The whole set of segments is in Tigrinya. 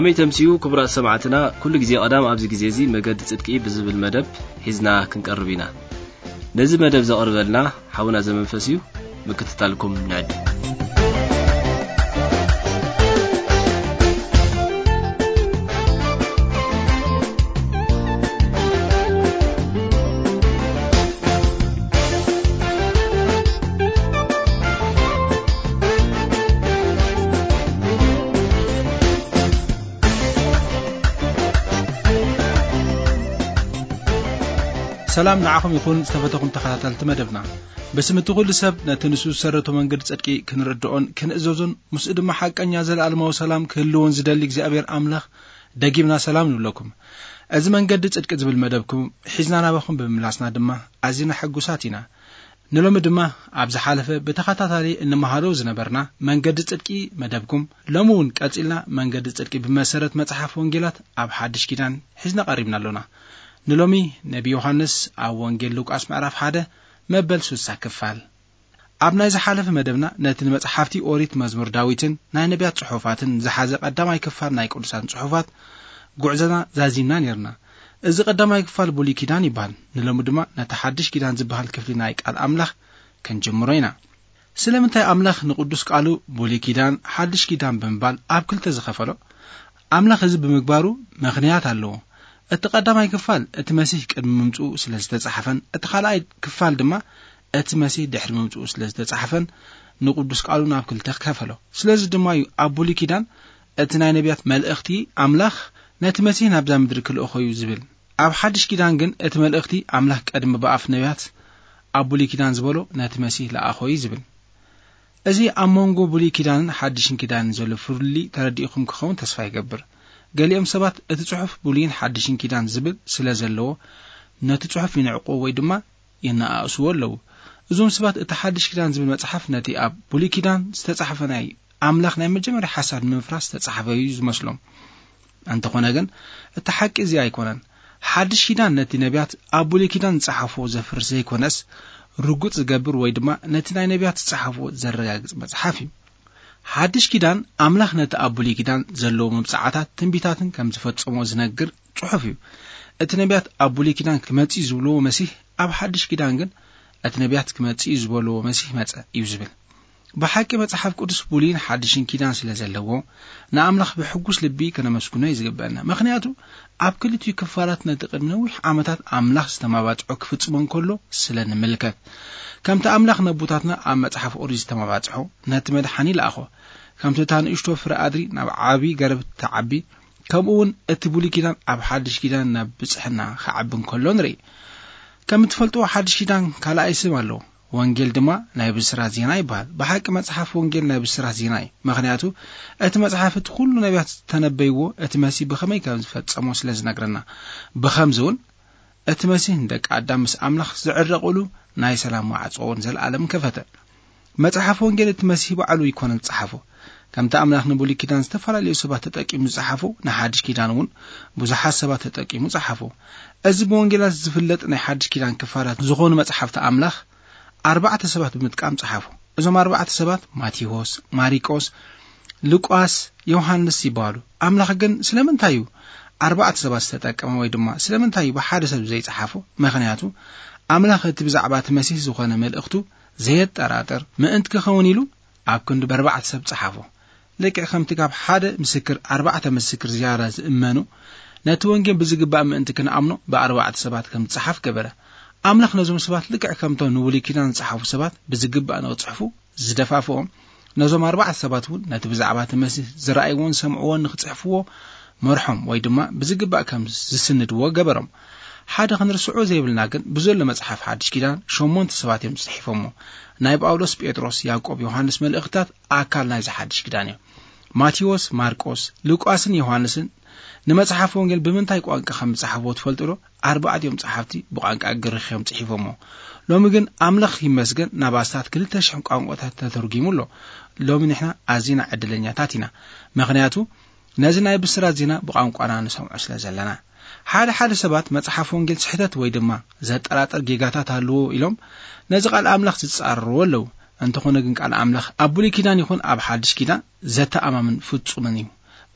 ከመይ ተምስዩ ክቡራት ሰማዕትና፣ ኩሉ ግዜ ቀዳም ኣብዚ ግዜ እዚ መገዲ ጽድቂ ብዝብል መደብ ሒዝና ክንቀርብ ኢና። ነዚ መደብ ዘቕርበልና ሓውና ዘመንፈስ እዩ። ምክትታልኩም ንዕድ። ሰላም ንዓኹም ይኹን ዝተፈተኹም ተኸታተልቲ መደብና። ብስም እቲ ኩሉ ሰብ ነቲ ንሱ ዝሰረቶ መንገዲ ጽድቂ ክንርድኦን ክንእዘዞን ምስኡ ድማ ሓቀኛ ዘለኣለማዊ ሰላም ክህልዎን ዝደሊ እግዚኣብሔር ኣምላኽ ደጊምና ሰላም ንብለኩም። እዚ መንገዲ ጽድቂ ዝብል መደብኩም ሒዝና ናባኹም ብምምላስና ድማ ኣዚና ሕጉሳት ኢና። ንሎሚ ድማ ኣብ ዝሓለፈ ብተኸታታሊ እንመሃሮ ዝነበርና መንገዲ ጽድቂ መደብኩም፣ ሎሚ እውን ቀጺልና መንገዲ ጽድቂ ብመሰረት መጽሓፍ ወንጌላት ኣብ ሓድሽ ኪዳን ሒዝና ቀሪብና ኣሎና። ንሎሚ ነቢ ዮሃንስ ኣብ ወንጌል ሉቃስ ምዕራፍ ሓደ መበል ስሳ ክፋል። ኣብ ናይ ዝሓለፈ መደብና ነቲ ንመጽሓፍቲ ኦሪት መዝሙር ዳዊትን ናይ ነቢያት ጽሑፋትን ዝሓዘ ቀዳማይ ክፋል ናይ ቅዱሳን ጽሑፋት ጉዕዞና ዛዚምና ኔርና። እዚ ቀዳማይ ክፋል ብሉይ ኪዳን ይበሃል። ንሎሚ ድማ ነቲ ሓድሽ ኪዳን ዝበሃል ክፍሊ ናይ ቃል ኣምላኽ ክንጅምሮ ኢና። ስለምንታይ ኣምላኽ ንቅዱስ ቃሉ ብሉይ ኪዳን፣ ሓድሽ ኪዳን ብምባል ኣብ ክልተ ዝኸፈሎ? ኣምላኽ እዚ ብምግባሩ ምኽንያት ኣለዎ። እቲ ቀዳማይ ክፋል እቲ መሲህ ቅድሚ ምምጽኡ ስለ ዝተጻሕፈን፣ እቲ ካልኣይ ክፋል ድማ እቲ መሲህ ድሕሪ ምምጽኡ ስለ ዝተጻሕፈን ንቅዱስ ቃሉ ናብ ክልተ ከፈሎ። ስለዚ ድማ እዩ ኣብ ብሉይ ኪዳን እቲ ናይ ነቢያት መልእኽቲ ኣምላኽ ነቲ መሲህ ናብዛ ምድሪ ክልእኾ እዩ ዝብል። ኣብ ሓድሽ ኪዳን ግን እቲ መልእኽቲ ኣምላኽ ቀድሚ ብኣፍ ነቢያት ኣብ ብሉይ ኪዳን ዝበሎ ነቲ መሲህ ለኣኾ እዩ ዝብል። እዚ ኣብ መንጎ ብሉይ ኪዳንን ሓድሽን ኪዳንን ዘሎ ፍልልይ ተረዲእኹም ክኸውን ተስፋ ይገብር። ገሊኦም ሰባት እቲ ጽሑፍ ብሉይን ሓድሽን ኪዳን ዝብል ስለ ዘለዎ ነቲ ጽሑፍ ይንዕቁ ወይ ድማ የነኣእስዎ ኣለዉ። እዞም ሰባት እቲ ሓድሽ ኪዳን ዝብል መጽሓፍ ነቲ ኣብ ብሉይ ኪዳን ዝተጻሕፈ ናይ ኣምላኽ ናይ መጀመርያ ሓሳብ ንምፍራስ ዝተጻሕፈ እዩ ዝመስሎም። እንተኾነ ግን እቲ ሓቂ እዚ ኣይኮነን። ሓድሽ ኪዳን ነቲ ነቢያት ኣብ ብሉይ ኪዳን ዝጸሓፍዎ ዘፍርስ ዘይኮነስ ርጉጽ ዝገብር ወይ ድማ ነቲ ናይ ነቢያት ዝጸሓፍዎ ዘረጋግጽ መጽሓፍ እዩ። ሓድሽ ኪዳን ኣምላኽ ነቲ ኣብ ብሉይ ኪዳን ዘለዎ መብጽዓታት ትንቢታትን ከም ዝፈጸሞ ዝነግር ጽሑፍ እዩ። እቲ ነቢያት ኣብ ብሉይ ኪዳን ክመጽእ እዩ ዝብልዎ መሲህ ኣብ ሓድሽ ኪዳን ግን እቲ ነቢያት ክመጽእ እዩ ዝበልዎ መሲህ መጸ እዩ ዝብል። ብሓቂ መጽሓፍ ቅዱስ ብሉይን ሓድሽን ኪዳን ስለ ዘለዎ ንኣምላኽ ብሕጉስ ልቢ ከነመስግኖ እዩ ዝግበአና። ምኽንያቱ ኣብ ክልቲኡ ክፋላት ነቲ ቅድሚ ነዊሕ ዓመታት ኣምላኽ ዝተማባጽዖ ክፍጽሞ እንከሎ ስለ ንምልከት። ከምቲ ኣምላኽ ነቦታትና ኣብ መጽሓፍ ኦሪት ዝተማባጽሖ ነቲ መድሓኒ ለኣኾ። ከምቲ እታ ንእሽቶ ፍረ ኣድሪ ናብ ዓቢ ገረብ ትዓቢ፣ ከምኡ እውን እቲ ብሉይ ኪዳን ኣብ ሓድሽ ኪዳን ናብ ብጽሕና ክዓቢ እንከሎ ንርኢ። ከም እትፈልጥዎ ሓድሽ ኪዳን ካልኣይ ስም ኣለዎ። ወንጌል ድማ ናይ ብስራት ዜና ይበሃል። ብሓቂ መጽሓፍ ወንጌል ናይ ብስራት ዜና እዩ። ምኽንያቱ እቲ መጽሓፍ እቲ ኩሉ ነቢያት ዝተነበይዎ እቲ መሲህ ብኸመይ ከም ዝፈጸሞ ስለ ዝነግረና። ብኸምዚ እውን እቲ መሲህ ንደቂ ኣዳም ምስ ኣምላኽ ዝዕረቕሉ ናይ ሰላም ማዕጾ እውን ዘለኣለም ከፈተ። መጽሓፍ ወንጌል እቲ መሲህ ባዕሉ ይኮነ ዝጸሓፎ። ከምቲ ኣምላኽ ንብሉይ ኪዳን ዝተፈላለዩ ሰባት ተጠቂሙ ዝጸሓፎ፣ ንሓድሽ ኪዳን እውን ብዙሓት ሰባት ተጠቂሙ ጸሓፎ። እዚ ብወንጌላት ዝፍለጥ ናይ ሓድሽ ኪዳን ክፋላት ዝኾኑ መጽሓፍቲ ኣምላኽ ኣርባዕተ ሰባት ብምጥቃም ጸሓፎ። እዞም ኣርባዕተ ሰባት ማቴዎስ፣ ማሪቆስ፣ ሉቃስ፣ ዮሃንስ ይበሃሉ። ኣምላኽ ግን ስለምንታይ እዩ ኣርባዕተ ሰባት ዝተጠቀመ ወይ ድማ ስለምንታይ እዩ ብሓደ ሰብ ዘይጸሓፎ? ምኽንያቱ ኣምላኽ እቲ ብዛዕባ እቲ መሲህ ዝኾነ መልእኽቱ ዘየጠራጥር ምእንቲ ክኸውን ኢሉ ኣብ ክንዲ ብኣርባዕተ ሰብ ጸሓፎ። ልክዕ ከምቲ ካብ ሓደ ምስክር ኣርባዕተ ምስክር ዝያዳ ዝእመኑ፣ ነቲ ወንጌል ብዝግባእ ምእንቲ ክንኣምኖ ብኣርባዕተ ሰባት ከም ዝጸሓፍ ገበረ። ኣምላኽ ነዞም ሰባት ልክዕ ከምቶም ንብሉይ ኪዳን ዝጸሓፉ ሰባት ብዝግባእ ንኽጽሕፉ ዝደፋፍኦም፣ ነዞም ኣርባዕተ ሰባት እውን ነቲ ብዛዕባ እቲ መሲህ ዝረኣይዎን ዝሰምዕዎን ንኽጽሕፍዎ መርሖም ወይ ድማ ብዝግባእ ከም ዝስንድዎ ገበሮም። ሓደ ክንርስዖ ዘይብልና ግን ብዘሎ መጽሓፍ ሓድሽ ኪዳን ሸሞንተ ሰባት እዮም ጽሒፎሞ። ናይ ጳውሎስ፣ ጴጥሮስ፣ ያዕቆብ፣ ዮሃንስ መልእኽትታት ኣካል ናይዚ ሓድሽ ኪዳን እዮም። ማቴዎስ፣ ማርቆስ፣ ሉቃስን ዮሃንስን ንመጽሓፍ ወንጌል ብምንታይ ቋንቋ ከም ዝጸሓፍዎ ትፈልጡ ዶ? ኣርባዕቲኦም ጸሓፍቲ ብቋንቋ ግሪኽ እዮም ጽሒፎሞ። ሎሚ ግን ኣምላኽ ይመስገን ናብ ኣስታት ክልተ ሽሕ ቋንቋታት ተተርጒሙ ኣሎ። ሎሚ ንሕና ኣዚና ዕድለኛታት ኢና። ምኽንያቱ ነዚ ናይ ብስራት ዜና ብቋንቋና ንሰምዖ ስለ ዘለና። ሓደ ሓደ ሰባት መጽሓፍ ወንጌል ስሕተት ወይ ድማ ዘጠራጥር ጌጋታት ኣለዎ ኢሎም ነዚ ቃል ኣምላኽ ዝጻረርዎ ኣለዉ። እንተኾነ ግን ቃል ኣምላኽ ኣብ ብሉይ ኪዳን ይኹን ኣብ ሓድሽ ኪዳን ዘተኣማምን ፍጹምን እዩ።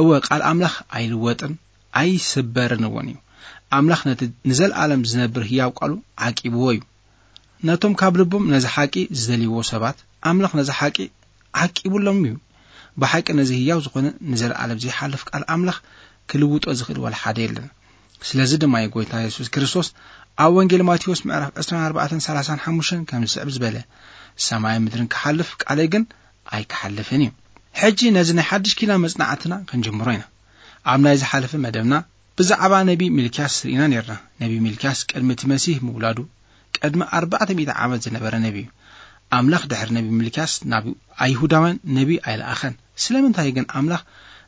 እወ፣ ቃል ኣምላኽ ኣይልወጥን ኣይስበርን እውን እዩ። ኣምላኽ ነቲ ንዘለኣለም ዝነብር ህያው ቃሉ ዓቂብዎ እዩ። ነቶም ካብ ልቦም ነዚ ሓቂ ዝደልይዎ ሰባት ኣምላኽ ነዚ ሓቂ ዓቂቡሎም እዩ። ብሓቂ ነዚ ህያው ዝኾነ ንዘለኣለም ዘይሓልፍ ቃል ኣምላኽ ክልውጦ ዝኽእል ዋላ ሓደ የለን። ስለዚ ድማ እዩ ጎይታ የሱስ ክርስቶስ ኣብ ወንጌል ማቴዎስ ምዕራፍ ዕስራን ኣርባዕተን ሰላሳን ሓሙሽተን ከም ዝስዕብ ዝበለ፣ "ሰማይን ምድርን ክሓልፍ፣ ቃለይ ግን ኣይክሓልፍን እዩ።" ሕጂ ነዚ ናይ ሓድሽ ኪዳን መጽናዕትና ክንጅምሮ ኢና። ኣብ ናይ ዝሓለፈ መደብና ብዛዕባ ነቢ ሚልክያስ ርኢና ነርና። ነቢ ሚልክያስ ቅድሚ እቲ መሲህ ምውላዱ ቅድሚ ኣርባዕተ ሚእቲ ዓመት ዝነበረ ነቢ እዩ። ኣምላኽ ድሕሪ ነቢ ሚልክያስ ናብ ኣይሁዳውያን ነቢ ኣይለኣኸን። ስለምንታይ ግን ኣምላኽ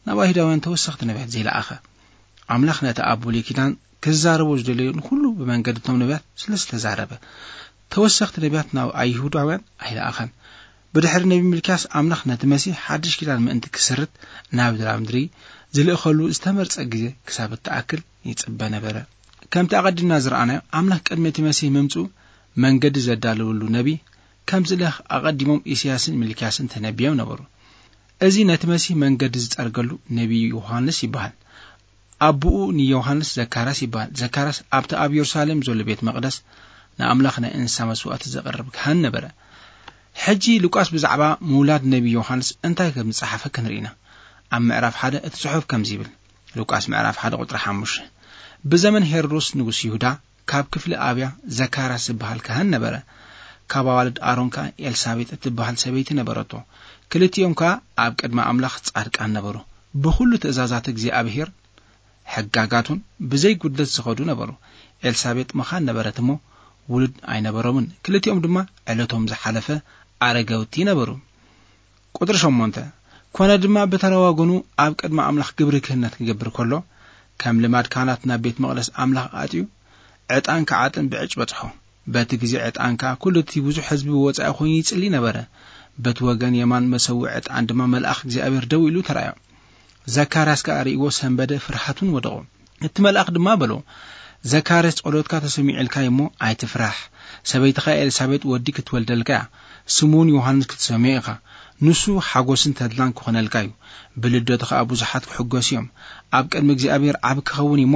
ናብ ኣይሁዳውያን ተወሰኽቲ ነቢያት ዘይለኣኸ? ኣምላኽ ነቲ ኣብ ብሉይ ኪዳን ክዛረቦ ዝደለዮ ንኹሉ ብመንገዲ እቶም ነቢያት ስለ ዝተዛረበ፣ ተወሰኽቲ ነቢያት ናብ ኣይሁዳውያን ኣይለኣኸን። ብድሕሪ ነቢ ሚልክያስ ኣምላኽ ነቲ መሲሕ ሓድሽ ኪዳን ምእንቲ ክስርት ናብ ድራምድሪ ዝልእኸሉ ዝተመርጸ ግዜ ክሳብ እትኣክል ይጽበ ነበረ። ከምቲ ኣቐዲምና ዝረኣናዮ፣ ኣምላኽ ቅድሚ እቲ መሲህ ምምጽኡ መንገዲ ዘዳለወሉ ነቢ ከም ዝልእኽ ኣቐዲሞም ኢሳያስን ሚልክያስን ተነቢዮም ነበሩ። እዚ ነቲ መሲህ መንገዲ ዝጸርገሉ ነቢ ዮሃንስ ይበሃል። ኣቦኡ ንዮሃንስ ዘካርያስ ይበሃል። ዘካርያስ ኣብቲ ኣብ የሩሳሌም ዘሎ ቤት መቕደስ ንኣምላኽ ናይ እንስሳ መስዋእቲ ዘቕርብ ካህን ነበረ። ሕጂ ሉቃስ ብዛዕባ ምውላድ ነቢ ዮሃንስ እንታይ ከም ዝጸሓፈ ክንርኢ ኢና። ኣብ ምዕራፍ ሓደ እቲ ጽሑፍ ከምዚ ይብል። ሉቃስ ምዕራፍ ሓደ ቁጽሪ ሓሙሽተ። ብዘመን ሄሮድስ ንጉስ ይሁዳ ካብ ክፍሊ ኣብያ ዘካርያስ ዝበሃል ካህን ነበረ። ካብ ኣዋልድ ኣሮን ከኣ ኤልሳቤጥ እትበሃል ሰበይቲ ነበረቶ። ክልቲኦም ከኣ ኣብ ቅድሚ ኣምላኽ ጻድቃን ነበሩ። ብኹሉ ትእዛዛት እግዚኣብሔር ሕጋጋቱን ብዘይ ጉድለት ዝኸዱ ነበሩ። ኤልሳቤጥ መኻን ነበረት እሞ ውሉድ ኣይነበሮምን። ክልቲኦም ድማ ዕለቶም ዝሓለፈ ኣረገውቲ ነበሩ። ቁጽሪ ሸሞንተ። ኮነ ድማ ብተራ ወገኑ ኣብ ቅድሚ ኣምላኽ ግብሪ ክህነት ክገብር ከሎ፣ ከም ልማድ ካህናት ናብ ቤት መቕደስ ኣምላኽ ኣትዩ ዕጣን ክዓጥን ብዕጭ በጽሖ። በቲ ግዜ ዕጣን ከኣ ኩሉ እቲ ብዙሕ ህዝቢ ብወጻኢ ኮይኑ ይጽሊ ነበረ። በቲ ወገን የማን መሰውኢ ዕጣን ድማ መልኣኽ እግዚኣብሔር ደው ኢሉ ተራእዮ። ዘካርያስ ከኣ ርእይዎ ሰንበደ፣ ፍርሃት እውን ወደቖ። እቲ መልኣኽ ድማ በሎ፣ "ዘካርያስ፣ ጸሎትካ ተሰሚዑልካ እዩ እሞ ኣይትፍራሕ። ሰበይትኻ ኤልሳቤጥ ወዲ ክትወልደልካ እያ፣ ስሙ እውን ዮሃንስ ክትሰምዮ ኢኻ። ንሱ ሓጎስን ተድላን ክኾነልካ እዩ። ብልደቱ ኸኣ ብዙሓት ክሕጎሱ እዮም። ኣብ ቅድሚ እግዚኣብሔር ዓቢ ክኸውን እዩ እሞ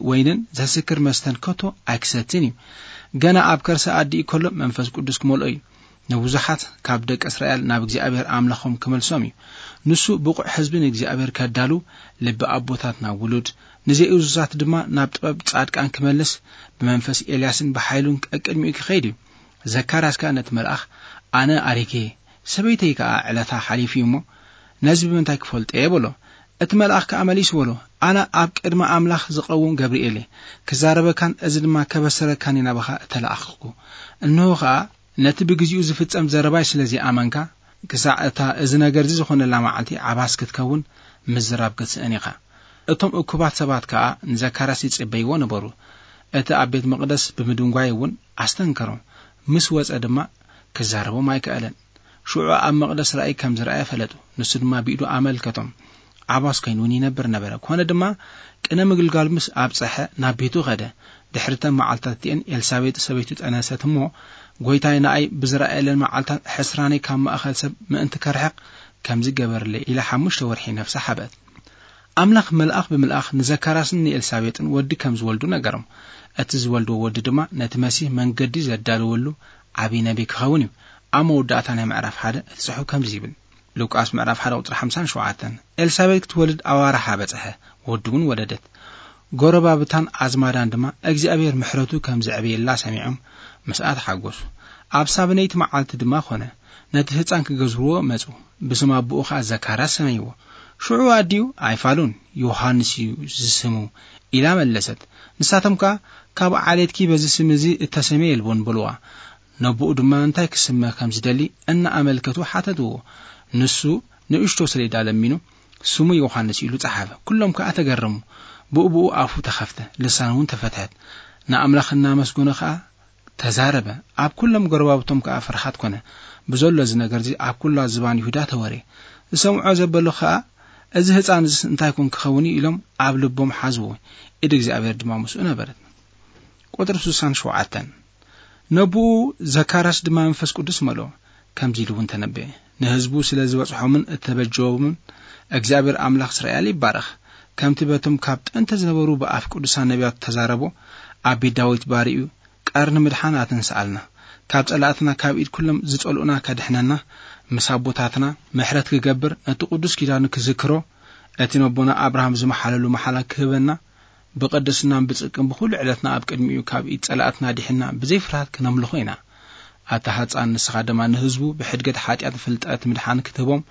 ወይንን ዘስክር መስተን ከቶ ኣይክሰትን እዩ። ገና ኣብ ከርሰ ኣዲኡ ከሎ መንፈስ ቅዱስ ክመልኦ እዩ። ንብዙሓት ካብ ደቂ እስራኤል ናብ እግዚኣብሔር ኣምላኾም ክመልሶም እዩ። ንሱ ብቑዕ ህዝቢ ንእግዚኣብሔር ከዳሉ፣ ልቢ ኣቦታት ናብ ውሉድ፣ ንዘይእዙዛት ድማ ናብ ጥበብ ጻድቃን ክመልስ፣ ብመንፈስ ኤልያስን ብሓይሉን ቀቅድሚኡ ክኸይድ እዩ።" ዘካርያስ ከኣ ነቲ መልኣኽ፣ "ኣነ ኣሪገ፣ ሰበይተይ ከኣ ዕለታ ሓሊፉ እዩ እሞ፣ ነዚ ብምንታይ ክፈልጦ እየ?" በሎ። እቲ መልኣኽ ከኣ መሊሱ በሎ፣ "ኣነ ኣብ ቅድሚ ኣምላኽ ዝቐውም ገብርኤል እየ። ክዛረበካን እዚ ድማ ከበሰረካን እየ ናባኻ እተላእኽኩ። እንሆ ኸኣ፣ ነቲ ብግዜኡ ዝፍጸም ዘረባይ ስለ ዘይኣመንካ፣ ክሳዕ እታ እዚ ነገር እዚ ዝኾነላ መዓልቲ ዓባስ ክትከውን ምዝራብ ክትስእን ኢኻ።" እቶም እኩባት ሰባት ከኣ ንዘካርያስ ይጽበይዎ ነበሩ። እቲ ኣብ ቤት መቕደስ ብምድንጓይ እውን ኣስተንከሮም። ምስ ወጸ ድማ ክዛረቦም ኣይከኣለን። ሽዑ ኣብ መቕደስ ራእይ ከም ዝረኣየ ፈለጡ። ንሱ ድማ ብኢዱ ኣመልከቶም። ዓባስ ኮይኑ እውን ይነብር ነበረ። ኮነ ድማ ቅነ ምግልጋል ምስ ኣብጸሐ ናብ ቤቱ ኸደ። ድሕሪ እተን መዓልትታት እቲኤን ኤልሳቤጥ ሰበይቱ ጠነሰት እሞ፣ "ጐይታይ ንኣይ ብዝረኣየለን መዓልታት ሕስራነይ ካብ ማእከል ሰብ ምእንቲ ከርሕቕ ከምዚ ገበርለይ" ኢላ ሓሙሽተ ወርሒ ነፍሳ ሓበት። ኣምላኽ መልኣኽ ብምልኣኽ ንዘካርያስን ንኤልሳቤጥን ወዲ ከም ዝወልዱ ነገሮም። እቲ ዝወልድዎ ወዲ ድማ ነቲ መሲህ መንገዲ ዘዳለወሉ ዓብዪ ነቢይ ክኸውን እዩ። ኣብ መወዳእታ ናይ ምዕራፍ ሓደ እቲ ጽሑፍ ከምዚ ይብል። ሉቃስ ምዕራፍ ሓደ ቁጽሪ ሓምሳን ሸውዓተን። ኤልሳቤጥ ክትወልድ ኣዋርሓ በጽሐ፣ ወዲ እውን ወለደት። ጎረባብታን ኣዝማዳን ድማ እግዚኣብሔር ምሕረቱ ከም ዘዕበየላ ሰሚዖም ምስኣ ተሓጎሱ። ኣብ ሳብነይቲ መዓልቲ ድማ ኾነ፣ ነቲ ህጻን ክገዝርዎ መጹ። ብስም ኣቦኡ ኸኣ ዘካርያስ ሰመይዎ። ሽዑ ኣዲኡ፣ "ኣይፋሉን፣ ዮሃንስ እዩ ዝስሙ" ኢላ መለሰት። ንሳቶም ከኣ፣ "ካብ ዓሌትኪ በዚ ስም እዚ እተሰምየ የልቦን" በልዋ። ነቦኡ ድማ እንታይ ክስመ ከም ዝደሊ እናኣመልከቱ ሓተትዎ። ንሱ ንእሽቶ ሰሌዳ ለሚኑ፣ "ስሙ ዮሃንስ" ኢሉ ጸሓፈ። ኩሎም ከኣ ተገረሙ። ብኡ ብኡ ኣፉ ተኸፍተ፣ ልሳኑ እውን ተፈትሐት። ንኣምላኽ እናመስገኖ ከኣ ተዛረበ። ኣብ ኩሎም ጎረባብቶም ከኣ ፍርሃት ኮነ። ብዘሎ እዚ ነገር እዚ ኣብ ኩላ ዝባን ይሁዳ ተወርየ። ዝሰምዖ ዘበሉ ከኣ፣ "እዚ ህጻን እዚስ እንታይ ኮን ክኸውን እዩ?" ኢሎም ኣብ ልቦም ሓዝዎ። ኢድ እግዚኣብሔር ድማ ምስኡ ነበረት። ቁጽሪ ስሳን ሸውዓተን። ነቦኡ ዘካርያስ ድማ መንፈስ ቅዱስ መልኦ። ከምዚ ኢሉ እውን ተነበየ። ንህዝቡ ስለ ዝበጽሖምን እተበጀዎምን እግዚኣብሔር ኣምላኽ እስራኤል ይባረኽ። ከምቲ በቶም ካብ ጥንቲ ዝነበሩ ብኣፍ ቅዱሳን ነቢያት ተዛረቦ፣ ኣብ ቤት ዳዊት ባሪኡ ቀርኒ ምድሓን ኣተንስኣልና። ካብ ጸላእትና፣ ካብ ኢድ ኩሎም ዝጸልኡና ከድሕነና፣ ምስ ኣቦታትና ምሕረት ክገብር፣ ነቲ ቅዱስ ኪዳኑ ክዝክሮ፣ እቲ ነቦና ኣብርሃም ዝመሓለሉ መሓላ ክህበና፣ ብቅድስናን ብጽድቅን ብኹሉ ዕለትና ኣብ ቅድሚኡ ካብ ኢድ ጸላእትና ዲሕና ብዘይ ፍርሃት ክነምልኾ ኢና። ኣታ ህጻን፣ ንስኻ ድማ ንህዝቡ ብሕድገት ሓጢኣት ፍልጠት ምድሓን ክትህቦም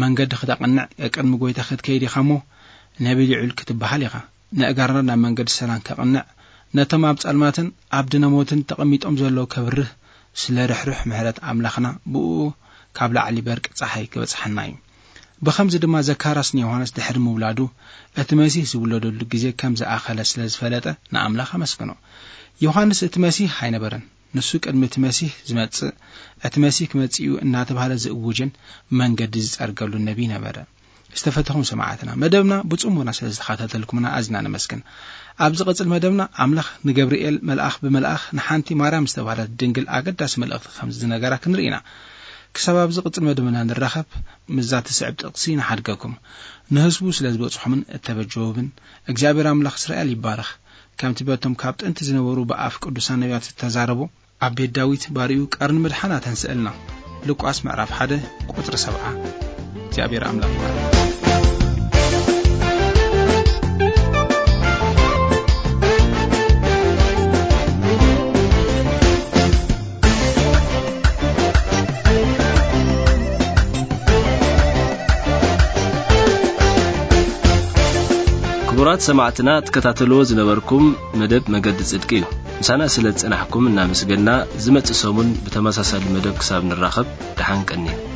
መንገዲ ክተቕንዕ፣ ቅድሚ ጎይታ ክትከይድ ኢኻ እሞ፣ ነቢ ልዑል ክትበሃል ኢኻ። ነእጋርና ናብ መንገዲ ሰላም ከቕንዕ፣ ነቶም ኣብ ጸልማትን ኣብ ድነ ሞትን ተቐሚጦም ዘለዉ ከብርህ፣ ስለ ርሕሩሕ ምሕረት ኣምላኽና ብእኡ ካብ ላዕሊ በርቂ ጸሓይ ክበጽሓና እዩ። ብኸምዚ ድማ ዘካርያስ ንዮሃንስ ድሕሪ ምውላዱ፣ እቲ መሲህ ዝውለደሉ ግዜ ከም ዝኣኸለ ስለ ዝፈለጠ ንኣምላኽ ኣመስግኖ። ዮሃንስ እቲ መሲህ ኣይነበረን። ንሱ ቅድሚ እቲ መሲህ ዝመጽእ፣ እቲ መሲህ ክመጽእ እዩ እናተባህለ ዝእውጅን መንገዲ ዝጸርገሉ ነቢይ ነበረ። ዝተፈተኹም ሰማዕትና፣ መደብና ብጽሞና ስለ ዝተኸታተልኩምና ኣዝና ነመስግን። ኣብ ዝቕጽል መደብና ኣምላኽ ንገብርኤል መልኣኽ ብመልኣኽ ንሓንቲ ማርያም ዝተባህለት ድንግል ኣገዳሲ መልእኽቲ ከም ዝነገራ ክንርኢ ኢና። ክሳብ ኣብ ዝቕጽል መደብና ንራኸብ፣ ምስዛ ትስዕብ ጥቕሲ ንሓድገኩም። ንህዝቡ ስለ ዝበጽሖምን እተበጀወብን እግዚኣብሔር ኣምላኽ እስራኤል ይባረኽ። ከምቲ በቶም ካብ ጥንቲ ዝነበሩ ብኣፍ ቅዱሳን ነቢያት ዝተዛረቦ፣ ኣብ ቤት ዳዊት ባሪኡ ቀርኒ ምድሓን ኣተንስአልና። ሉቃስ ምዕራፍ ሓደ ቁጽሪ ሰብዓ። እግዚኣብሔር ኣምላኽ ይባርኽ። ክቡራት ሰማዕትና፣ ትከታተልዎ ዝነበርኩም መደብ መገዲ ጽድቂ እዩ። ምሳና ስለ ዝጸናሕኩም እናመስገንና፣ ዝመጽእ ሰሙን ብተመሳሳሊ መደብ ክሳብ ንራኸብ፣ ደሓን ቀንዩ።